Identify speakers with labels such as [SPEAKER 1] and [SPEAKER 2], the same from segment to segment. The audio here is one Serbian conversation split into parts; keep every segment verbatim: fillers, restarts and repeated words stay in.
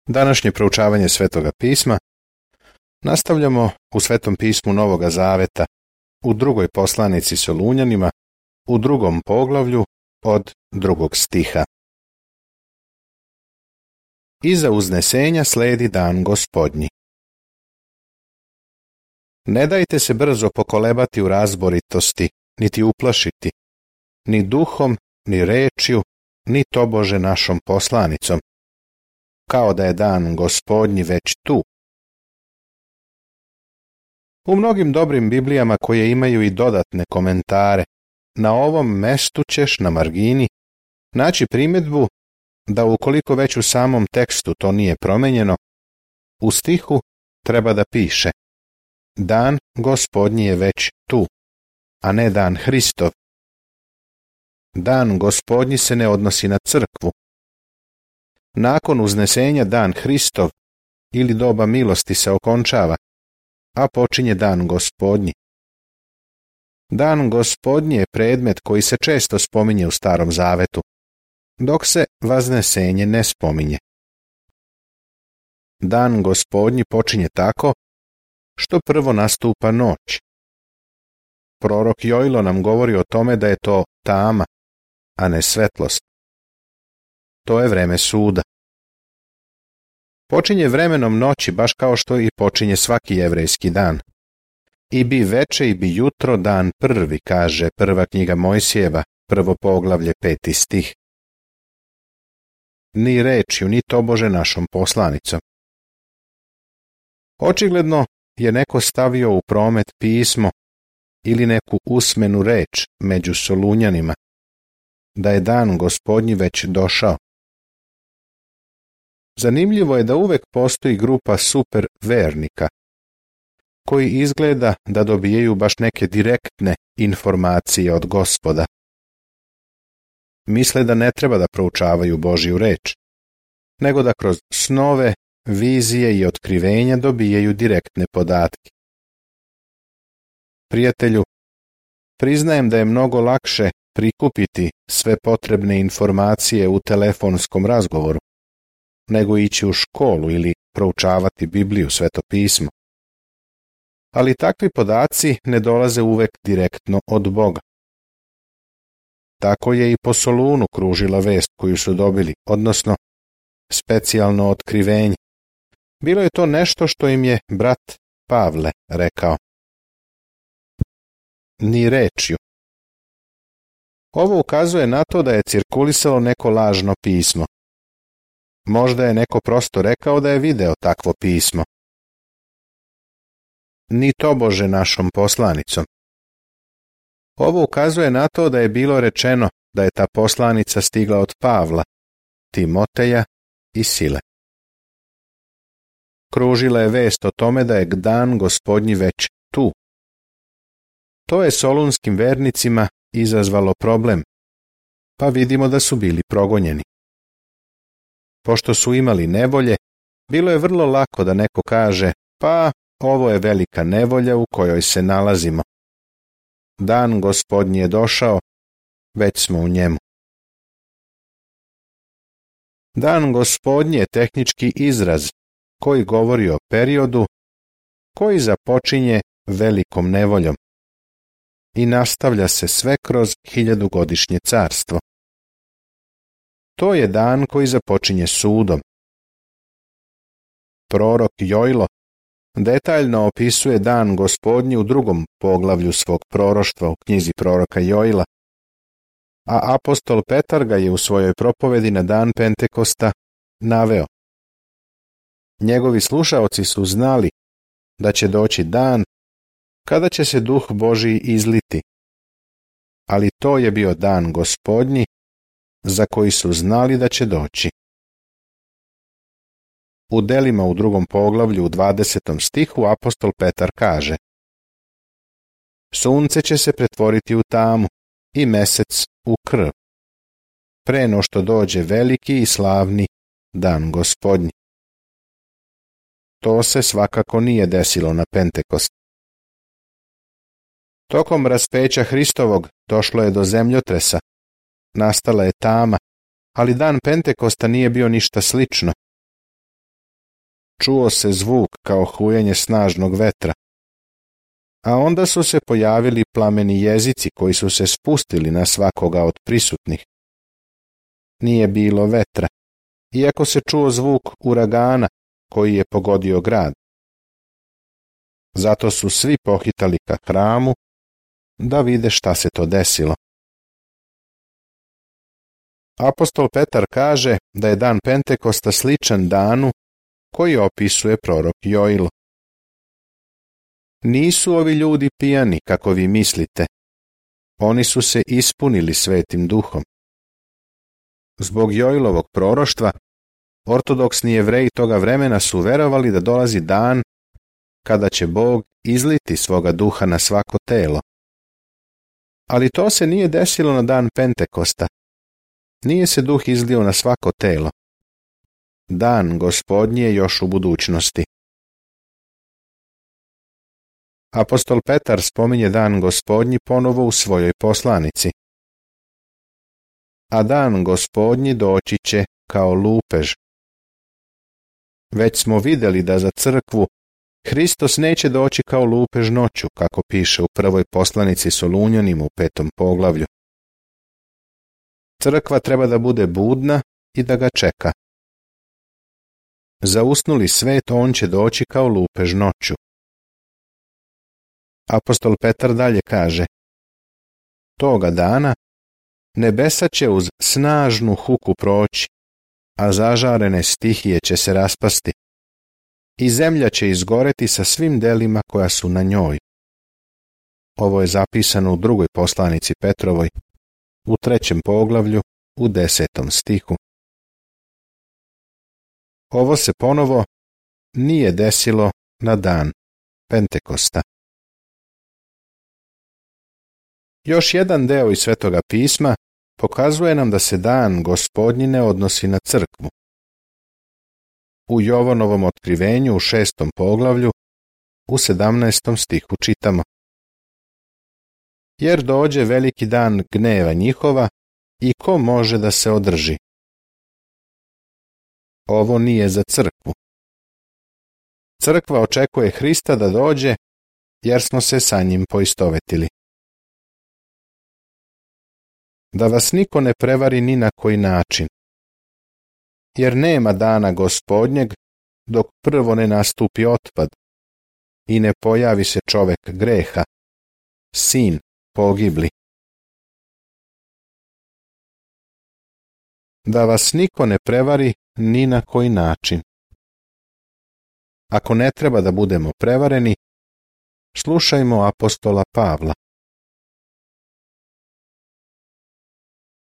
[SPEAKER 1] Današnje proučavanje Svetoga pisma nastavljamo u Svetom pismu Novoga Zaveta, u drugoj poslanici Solunjanima, u drugom poglavlju od drugog stiha. Iza uznesenja sledi dan Gospodnji. Ne dajte se brzo pokolebati u razboritosti, niti uplašiti, ni duhom, ni rečju, ni tobože našom poslanicom, kao da je dan Gospodnji već tu. U mnogim dobrim Biblijama koje imaju i dodatne komentare, na ovom mestu ćeš na margini naći primjedbu da ukoliko već u samom tekstu to nije promenjeno, u stihu treba da piše: dan Gospodnji je već tu, a ne dan Hristov. Dan Gospodnji se ne odnosi na crkvu. Nakon uznesenja dan Hristov ili doba milosti se okončava, a počinje dan Gospodnji. Dan Gospodnji je predmet koji se često spominje u Starom Zavetu, dok se vaznesenje ne spominje. Dan Gospodnji počinje tako što prvo nastupa noć. Prorok Jojlo nam govori o tome da je to tama, a ne svetlost. To je vreme suda. Počinje vremenom noći baš kao što i počinje svaki jevrejski dan. I bi veče i bi jutro dan prvi, kaže prva knjiga Mojsijeva, prvo poglavlje, peti stih. Ni rečju, ni tobože našom poslanicom. Očigledno je neko stavio u promet pismo ili neku usmenu reč među Solunjanima, da je dan Gospodnji već došao. Zanimljivo je da uvek postoji grupa super vernika, koji izgleda da dobijaju baš neke direktne informacije od Gospoda. Misle da ne treba da proučavaju Božju reč, nego da kroz snove, vizije i otkrivenja dobijaju direktne podatke. Prijatelju, priznajem da je mnogo lakše prikupiti sve potrebne informacije u telefonskom razgovoru, nego ići u školu ili proučavati Bibliju, Sveto pismo. Ali takvi podaci ne dolaze uvek direktno od Boga. Tako je i po Solunu kružila vest koju su dobili, odnosno specijalno otkrivenje. Bilo je to nešto što im je brat Pavle rekao. Ni rečju. Ovo ukazuje na to da je cirkulisalo neko lažno pismo. Možda je neko prosto rekao da je video takvo pismo. Ni tobože našom poslanicom. Ovo ukazuje na to da je bilo rečeno da je ta poslanica stigla od Pavla, Timoteja i Sile. Kružila je vest o tome da je dan Gospodnji već tu. To je solunskim vernicima izazvalo problem, pa vidimo da su bili progonjeni. Pošto su imali nevolje, bilo je vrlo lako da neko kaže: pa ovo je velika nevolja u kojoj se nalazimo. Dan Gospodnji je došao, već smo u njemu. Dan Gospodnji je tehnički izraz koji govori o periodu koji započinje velikom nevoljom i nastavlja se sve kroz hiljadugodišnje carstvo. To je dan koji započinje sudom. Prorok Jojlo detaljno opisuje dan Gospodnji u drugom poglavlju svog proroštva u knjizi proroka Jojla, a apostol Petar ga je u svojoj propovedi na dan Pentekosta naveo. Njegovi slušaoci su znali da će doći dan kada će se Duh Božji izliti, ali to je bio dan Gospodnji za koji su znali da će doći. U delima u drugom poglavlju u dvadesetom stihu apostol Petar kaže: sunce će se pretvoriti u tamu i mesec u krv, pre no što dođe veliki i slavni dan Gospodnji. To se svakako nije desilo na Pentekost. Tokom raspeća Hristovog došlo je do zemljotresa, nastala je tama, ali dan Pentekosta nije bio ništa slično. čuo se zvuk kao hujanje snažnog vetra, a onda su se pojavili plameni jezici koji su se spustili na svakoga od prisutnih. Nije bilo vetra, iako se čuo zvuk uragana koji je pogodio grad. Zato su svi pohitali ka hramu da vide šta se to desilo. Apostol Petar kaže da je dan Pentekosta sličan danu koji opisuje prorok Joilo. Nisu ovi ljudi pijani, kako vi mislite. Oni su se ispunili Svetim Duhom. Zbog Joilovog proroštva, ortodoksni Jevreji toga vremena su verovali da dolazi dan kada će Bog izliti svoga duha na svako telo. Ali to se nije desilo na dan Pentekosta. Nije se duh izlio na svako telo. Dan Gospodnji je još u budućnosti. Apostol Petar spominje dan Gospodnji ponovo u svojoj poslanici. A dan Gospodnji doći će kao lupež. Već smo vidjeli da za crkvu Hristos neće doći kao lupež noću, kako piše u prvoj poslanici Solunjanima u petom poglavlju. Crkva treba da bude budna i da ga čeka. Za usnuli svet on će doći kao lupež noću. Apostol Petar dalje kaže: toga dana nebesa će uz snažnu huku proći, a zažarene stihije će se raspasti i zemlja će izgoreti sa svim delima koja su na njoj. Ovo je zapisano u drugoj poslanici Petrovoj, u trećem poglavlju, u desetom stihu. Ovo se ponovo nije desilo na dan Pentekosta. Još jedan deo iz Svetoga pisma pokazuje nam da se dan Gospodnji ne odnosi na crkvu. U Jovanovom otkrivenju u šestom poglavlju, u sedamnaestom stihu čitamo: jer dođe veliki dan gneva njihova i ko može da se održi? Ovo nije za crkvu. Crkva očekuje Hrista da dođe, jer smo se sa njim poistovetili. Da vas niko ne prevari ni na koji način, jer nema dana Gospodnjeg dok prvo ne nastupi otpad i ne pojavi se čovek greha, sin pogibli. Da vas niko ne prevari ni na koji način. Ako ne treba da budemo prevareni, slušajmo apostola Pavla.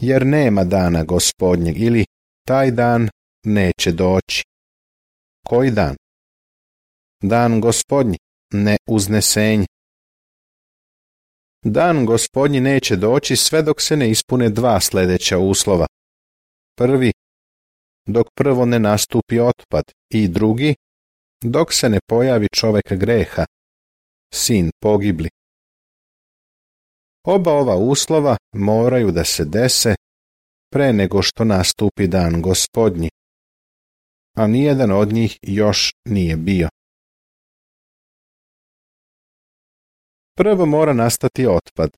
[SPEAKER 1] Jer nema dana Gospodnjeg, ili taj dan neće doći. Koji dan? Dan Gospodnji, ne uznesenje. Dan Gospodnji neće doći sve dok se ne ispune dva sljedeća uslova. Prvi, dok prvo ne nastupi otpad, i drugi, dok se ne pojavi čovek greha, sin pogibli. Oba ova uslova moraju da se dese pre nego što nastupi dan Gospodnji, a nijedan od njih još nije bio. Prvo mora nastati otpad.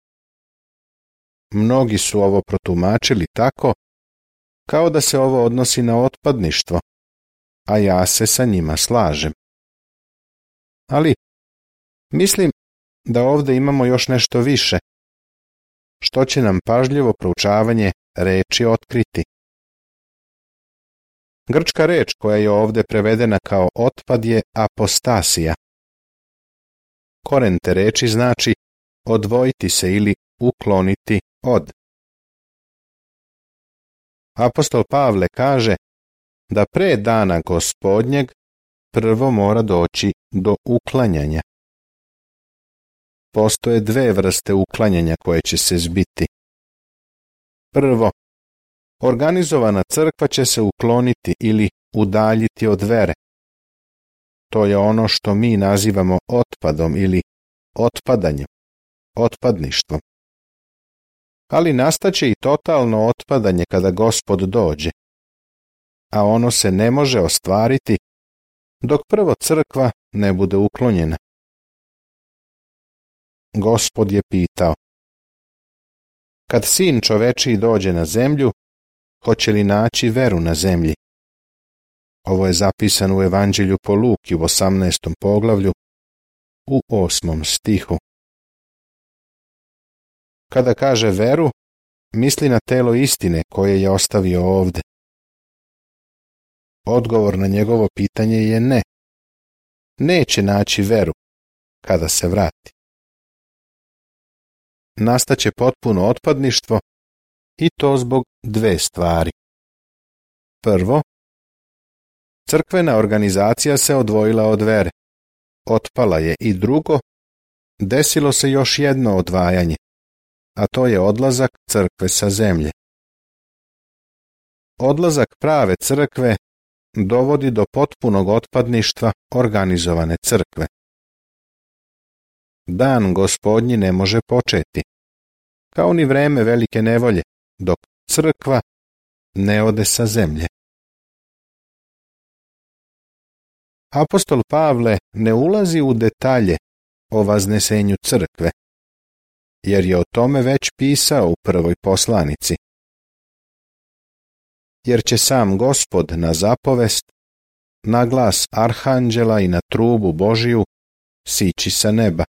[SPEAKER 1] Mnogi su ovo protumačili tako, kao da se ovo odnosi na otpadništvo, a ja se sa njima slažem. Ali, mislim da ovdje imamo još nešto više, što će nam pažljivo proučavanje reči otkriti. Grčka reč koja je ovdje prevedena kao otpad je apostasija. Koren te reči znači odvojiti se ili ukloniti od. Apostol Pavle kaže da pre dana Gospodnjeg prvo mora doći do uklanjanja. Postoje dve vrste uklanjanja koje će se zbiti. Prvo, organizovana crkva će se ukloniti ili udaljiti od vere. To je ono što mi nazivamo otpadom ili otpadanjem, otpadništvom. Ali nastaće i totalno otpadanje kada Gospod dođe, a ono se ne može ostvariti dok prvo crkva ne bude uklonjena. Gospod je pitao: kad sin čovečiji dođe na zemlju, hoće li naći veru na zemlji? Ovo je zapisano u Evanđelju po Luki u osamnaestom poglavlju, u osmom stihu. Kada kaže veru, misli na telo istine koje je ostavio ovde. Odgovor na njegovo pitanje je ne. Neće naći veru kada se vrati. Nastaće potpuno otpadništvo i to zbog dve stvari. Prvo, crkvena organizacija se odvojila od vere. Otpala je. I drugo, desilo se još jedno odvajanje, a to je odlazak crkve sa zemlje. Odlazak prave crkve dovodi do potpunog otpadništva organizovane crkve. Dan Gospodnji ne može početi, kao ni vreme velike nevolje, dok crkva ne ode sa zemlje. Apostol Pavle ne ulazi u detalje o vaznesenju crkve, jer je o tome već pisao u prvoj poslanici. Jer će sam Gospod na zapovest, na glas arhanđela i na trubu Božiju sići sa neba,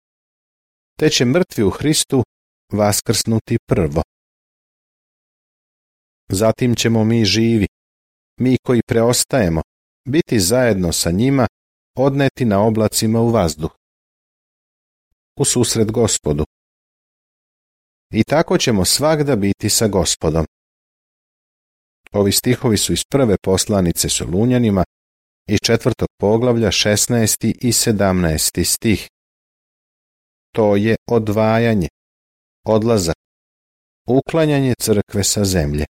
[SPEAKER 1] te će mrtvi u Hristu vaskrsnuti prvo. Zatim ćemo mi živi, mi koji preostajemo, biti zajedno sa njima, odneti na oblacima u vazduh, u susret Gospodu. I tako ćemo svagda biti sa Gospodom. Ovi stihovi su iz prve poslanice Solunjanima, iz četvrtog poglavlja šesnaesti i sedamnaesti stih. To je odvajanje, odlazak, uklanjanje crkve sa zemlje.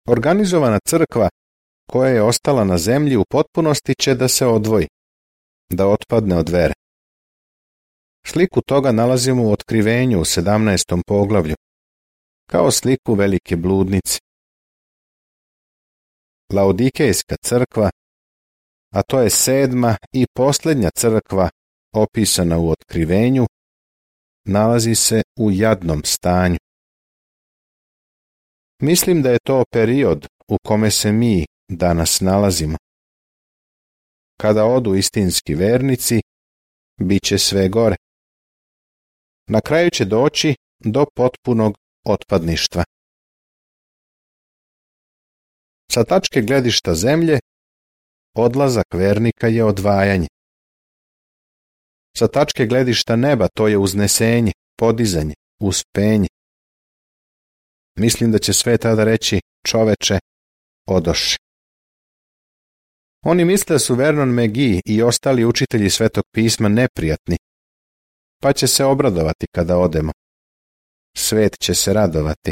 [SPEAKER 1] Organizovana crkva koja je ostala na zemlji u potpunosti će da se odvoji, da otpadne od vere. Sliku toga nalazimo u Otkrivenju u sedamnaestom poglavlju, kao sliku velike bludnice. Laodikejska crkva, a to je sedma i posljednja crkva opisana u Otkrivenju, nalazi se u jadnom stanju. Mislim da je to period u kome se mi danas nalazimo. Kada odu istinski vernici, bit će sve gore. Na kraju će doći do potpunog otpadništva. Sa tačke gledišta zemlje, odlazak vernika je odvajanje. Sa tačke gledišta neba to je uznesenje, podizanje, uspenje. Mislim da će sve tada reći: čoveče, odoši. Oni misle da su Vernon McGee i ostali učitelji Svetog pisma neprijatni, pa će se obradovati kada odemo. Svet će se radovati.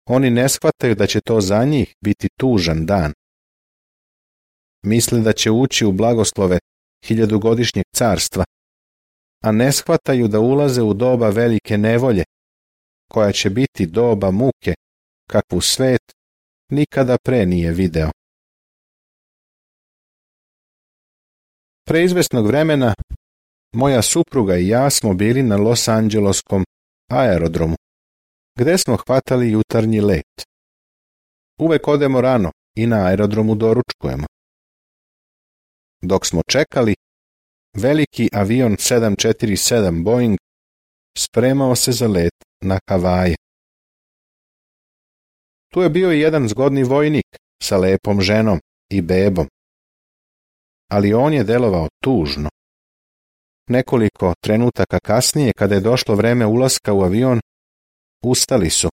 [SPEAKER 1] Oni ne shvataju da će to za njih biti tužan dan. Misle da će ući u blagoslove hiljadugodišnjeg carstva, a ne shvataju da ulaze u doba velike nevolje, koja će biti doba muke, kakvu svet nikada pre nije video. Pre izvesnog vremena moja supruga i ja smo bili na Los Angeleskom aerodromu, gde smo hvatali jutarnji let. Uvek odemo rano i na aerodromu doručkujemo. Dok smo čekali, veliki avion sedam četiri sedam Boeing spremao se za let na Havaje. Tu je bio i jedan zgodni vojnik sa lepom ženom i bebom, ali on je delovao tužno. Nekoliko trenutaka kasnije, kada je došlo vreme ulaska u avion, ustali su.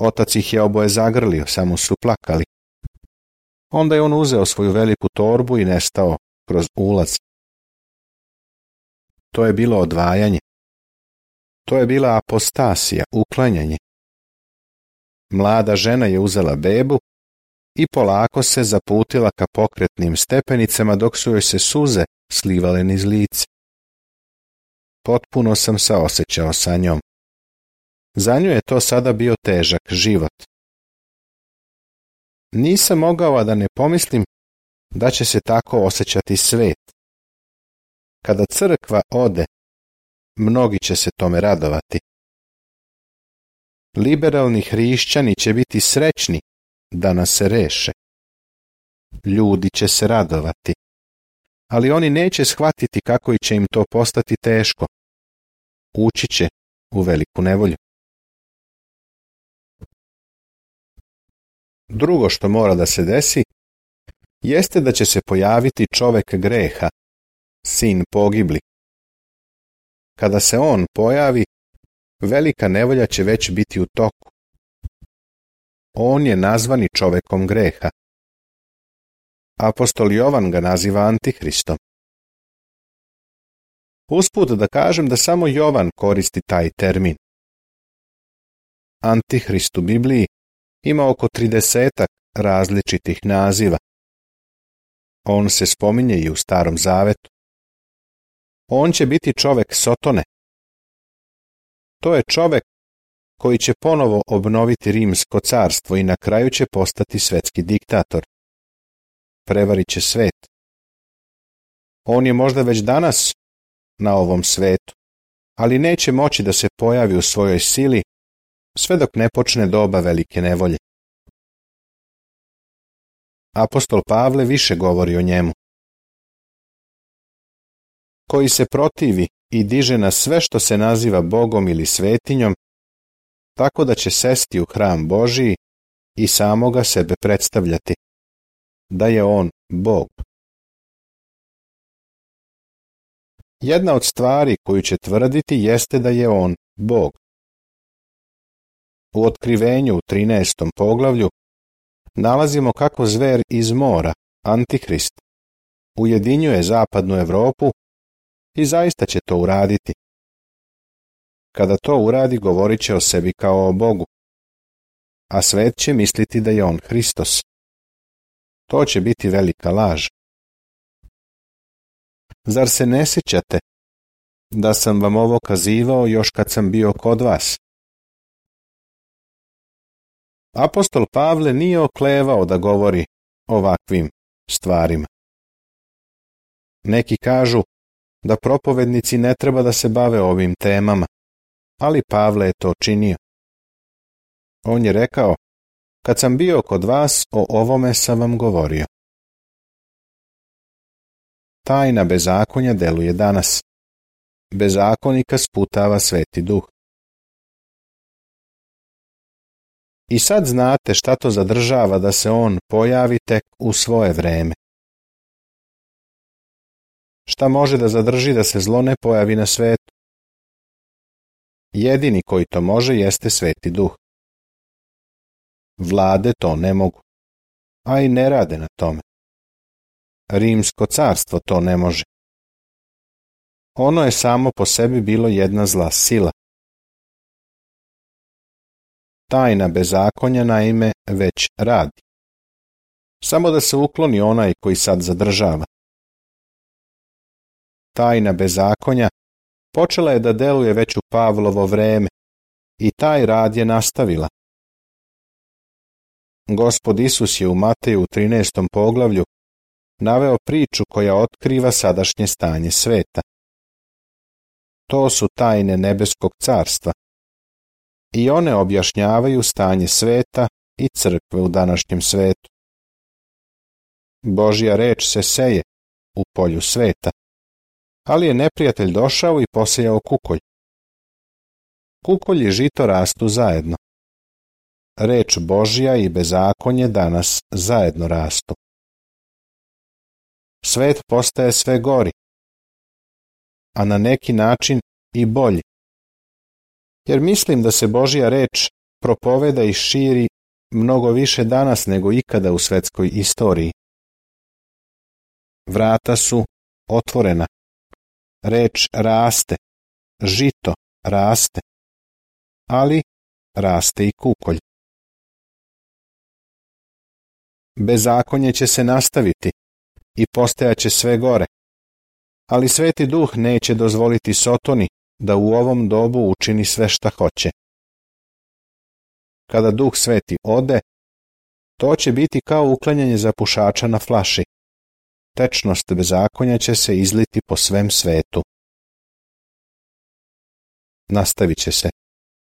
[SPEAKER 1] Otac ih je oboje zagrlio, samo su plakali. Onda je on uzeo svoju veliku torbu i nestao kroz ulaz. To je bilo odvajanje. To je bila apostasija, uklanjanje. Mlada žena je uzela bebu i polako se zaputila ka pokretnim stepenicama dok su joj se suze slivale niz lice. Potpuno sam saosećao sa njom. Za nju je to sada bio težak život. Nisam mogao a da ne pomislim da će se tako osjećati svet. Kada crkva ode, mnogi će se tome radovati. Liberalni hrišćani će biti srećni da nas se reše. Ljudi će se radovati, ali oni neće shvatiti kako će im to postati teško. Ući će u veliku nevolju. Drugo što mora da se desi, jeste da će se pojaviti čovek greha, sin pogibli. Kada se on pojavi, velika nevolja će već biti u toku. On je nazvani čovekom greha. Apostol Jovan ga naziva Antihristom. Usput da kažem da samo Jovan koristi taj termin. Antihrist u Bibliji ima oko tridesetak različitih naziva. On se spominje i u Starom Zavetu. On će biti čovek Sotone. To je čovek koji će ponovo obnoviti Rimsko carstvo i na kraju će postati svetski diktator. Prevarit će svet. On je možda već danas na ovom svetu, ali neće moći da se pojavi u svojoj sili sve dok ne počne doba velike nevolje. Apostol Pavle više govori o njemu. Koji se protivi i diže na sve što se naziva Bogom ili svetinjom, tako da će sesti u hram Božiji i samoga sebe predstavljati, da je on Bog. Jedna od stvari koju će tvrditi jeste da je on Bog. U Otkrivenju u trinaestom poglavlju nalazimo kako zver iz mora, Antihrist, ujedinjuje zapadnu Evropu i zaista će to uraditi. Kada to uradi, govorit će o sebi kao o Bogu, a svet će misliti da je on Hristos. To će biti velika laž. Zar se ne sjećate da sam vam ovo kazivao još kad sam bio kod vas? Apostol Pavle nije oklevao da govori ovakvim stvarima. Neki kažu da propovednici ne treba da se bave ovim temama, ali Pavle je to činio. On je rekao, kad sam bio kod vas, o ovome sam vam govorio. Tajna bezakonja deluje danas. Bezakonika sputava Sveti Duh. I sad znate šta to zadržava da se on pojavi tek u svoje vreme. Šta može da zadrži da se zlo ne pojavi na svetu? Jedini koji to može jeste Sveti Duh. Vlade to ne mogu, a i ne rade na tome. Rimsko carstvo to ne može. Ono je samo po sebi bilo jedna zla sila. Tajna bezakonja naime već radi. Samo da se ukloni onaj koji sad zadržava. Tajna bezakonja počela je da deluje već u Pavlovo vreme i taj rad je nastavila. Gospod Isus je u Mateju u trinaestom poglavlju naveo priču koja otkriva sadašnje stanje sveta. To su tajne nebeskog carstva i one objašnjavaju stanje sveta i crkve u današnjem svetu. Božja reč se seje u polju sveta, ali je neprijatelj došao i posejao kukolj. Kukolj i žito rastu zajedno. Reč Božja i bezakonje danas zajedno rastu. Svet postaje sve gori, a na neki način i bolji. Jer mislim da se Božja reč propoveda i širi mnogo više danas nego ikada u svetskoj istoriji. Vrata su otvorena. Reč raste, žito raste, ali raste i kukolj. Bezakonje će se nastaviti i postajaće sve gore, ali Sveti Duh neće dozvoliti Sotoni da u ovom dobu učini sve šta hoće. Kada Duh Sveti ode, To će biti kao uklanjanje zapušača na flaši. Tečnost bezakonja će se izliti po svem svetu. Nastavit će se.